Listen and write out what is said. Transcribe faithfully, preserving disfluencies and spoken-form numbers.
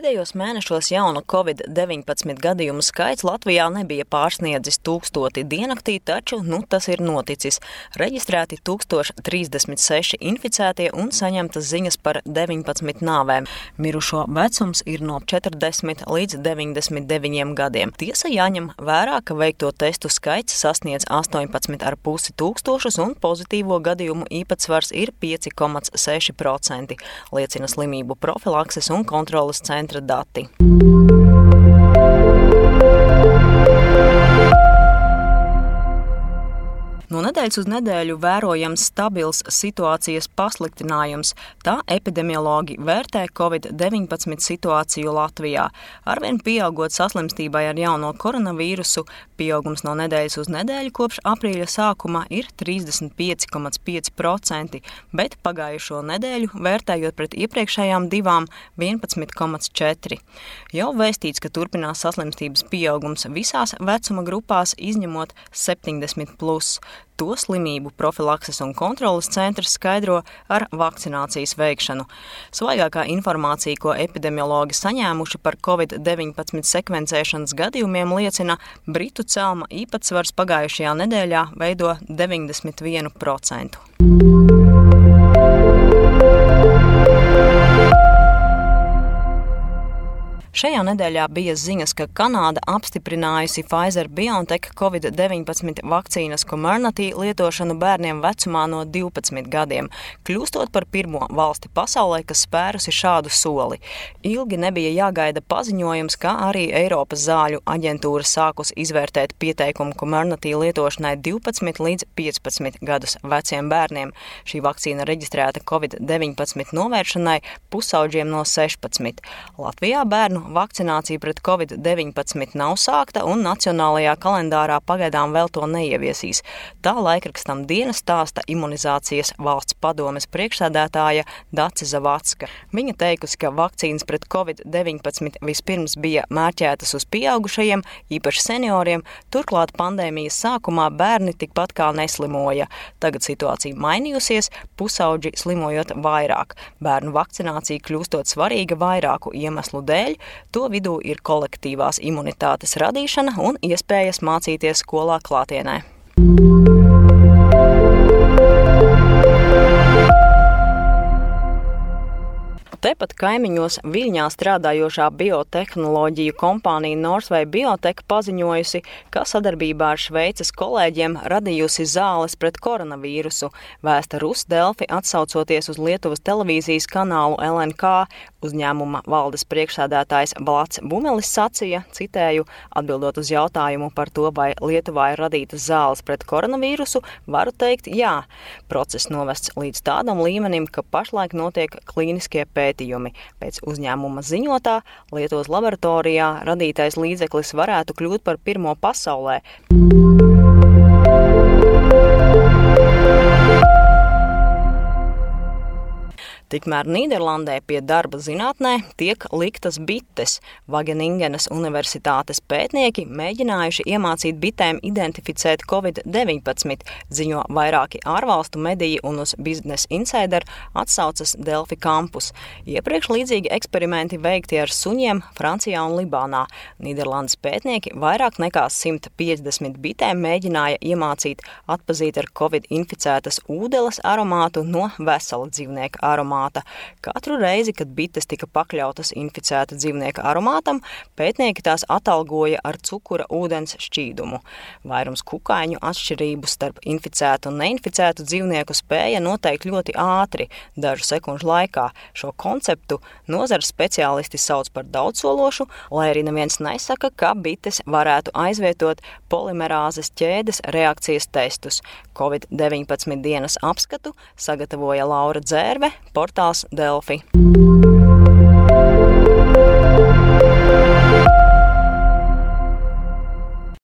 Pēdējos mēnešos jaunu covid deviņpadsmit gadījumu skaits Latvijā nebija pārsniedzis tūkstoti diennaktī, taču nu tas ir noticis. Reģistrēti tūkstoš trīsdesmit seši inficētie un saņemtas ziņas par deviņpadsmit nāvēm. Mirušo vecums ir no četrdesmit līdz deviņdesmit deviņiem gadiem. Tiesa jāņem vērā, ka veikto testu skaits sasniedz astoņpadsmit ar pusi tūkstošus un pozitīvo gadījumu īpatsvars ir pieci komats seši procenti, liecina slimību profilakses un kontroles centra dati. No nedēļas uz nedēļu vērojams stabils situācijas pasliktinājums, tā epidemiologi vērtē covid deviņpadsmit situāciju Latvijā. Arvien pieaugot saslimstībai ar jauno koronavīrusu, pieaugums no nedēļas uz nedēļu kopš aprīļa sākuma ir trīsdesmit pieci komats pieci procenti, bet pagājušo nedēļu, vērtējot pret iepriekšējām divām, vienpadsmit komats četri. Jau vēstīts, ka turpinās saslimstības pieaugums visās vecuma grupās, izņemot septiņdesmit plus. To slimību profilakses un kontroles centrs skaidro ar vakcinācijas veikšanu. Svaigākā informācija, ko epidemiologi saņēmuši par covid deviņpadsmit sekvencēšanas gadījumiem, liecina, britu celma īpatsvars pagājušajā nedēļā veido deviņdesmit vienu procentu. Šajā nedēļā bija ziņas, ka Kanāda apstiprinājusi Pfizer-BioNTech covid deviņpadsmit vakcīnas Comirnaty lietošanu bērniem vecumā no divpadsmit gadiem, kļūstot par pirmo valsti pasaulē, kas spērusi šādu soli. Ilgi nebija jāgaida paziņojums, ka arī Eiropas zāļu aģentūra sākus izvērtēt pieteikumu Comirnaty lietošanai divpadsmit līdz piecpadsmit gadus veciem bērniem. Šī vakcīna reģistrēta covid deviņpadsmit novēršanai pusauģiem no sešpadsmit. Latvijā bērnu vakcinācija pret covid deviņpadsmit nav sākta un nacionālajā kalendārā pagaidām vēl to neieviesīs. Tā laikrakstam Diena stāsta imunizācijas valsts padomes priekšsēdētāja Dace Zavacka. Viņa teikusi, ka vakcīnas pret covid deviņpadsmit vispirms bija mērķētas uz pieaugušajiem, īpaši senioriem, turklāt pandēmijas sākumā bērni tikpat kā neslimoja. Tagad situācija mainījusies, pusauģi slimojot vairāk. Bērnu vakcinācija kļūstot svarīga vairāku iemeslu dēļ. To vidū ir kolektīvās imunitātes radīšana un iespējas mācīties skolā klātienē. Tepat kaimiņos Viļņā strādājošā biotehnoloģiju kompānija Northway Biotech paziņojusi, ka sadarbībā ar Šveices kolēģiem radījusi zāles pret koronavīrusu. Vēsta Rus Delfi atsaucoties uz Lietuvas televīzijas kanālu L N K. Uzņēmuma valdes priekšsēdētājs Vlads Bumelis sacīja, citēju, atbildot uz jautājumu par to, vai Lietuvā ir radītas zāles pret koronavīrusu, varu teikt jā. Process novests līdz tādam līmenim, ka pašlaik notiek klīniskie pētījumi. Pēc uzņēmuma ziņotā, Lietuvas laboratorijā radītais līdzeklis varētu kļūt par pirmo pasaulē. Tikmēr Nīderlandē pie darba zinātnē tiek liktas bites. Vageningenas universitātes pētnieki mēģinājuši iemācīt bitēm identificēt covid deviņpadsmit, ziņo vairāki ārvalstu mediji un uz Business Insider atsaucas Delfi kampus. Iepriekš līdzīgi eksperimenti veikti ar suņiem Francijā un Libānā. Nīderlandes pētnieki vairāk nekā simt piecdesmit bitēm mēģināja iemācīt atpazīt ar covid inficētas ūdeles aromātu no vesela dzīvnieka aromāta. Katru reizi, kad bites tika pakļautas inficēta dzīvnieka aromātam, pētnieki tās atalgoja ar cukura ūdens šķīdumu. Vairums kukaiņu atšķirību starp inficētu un neinficētu dzīvnieku spēja noteikt ļoti ātri, dažu sekundžu laikā. Šo konceptu nozares speciālisti sauc par daudzsološu, lai arī neviens nesaka, ka bites varētu aizvietot polimerāzes ķēdes reakcijas testus. covid deviņpadsmit dienas apskatu sagatavoja Laura Dzērve, portāls Delfi.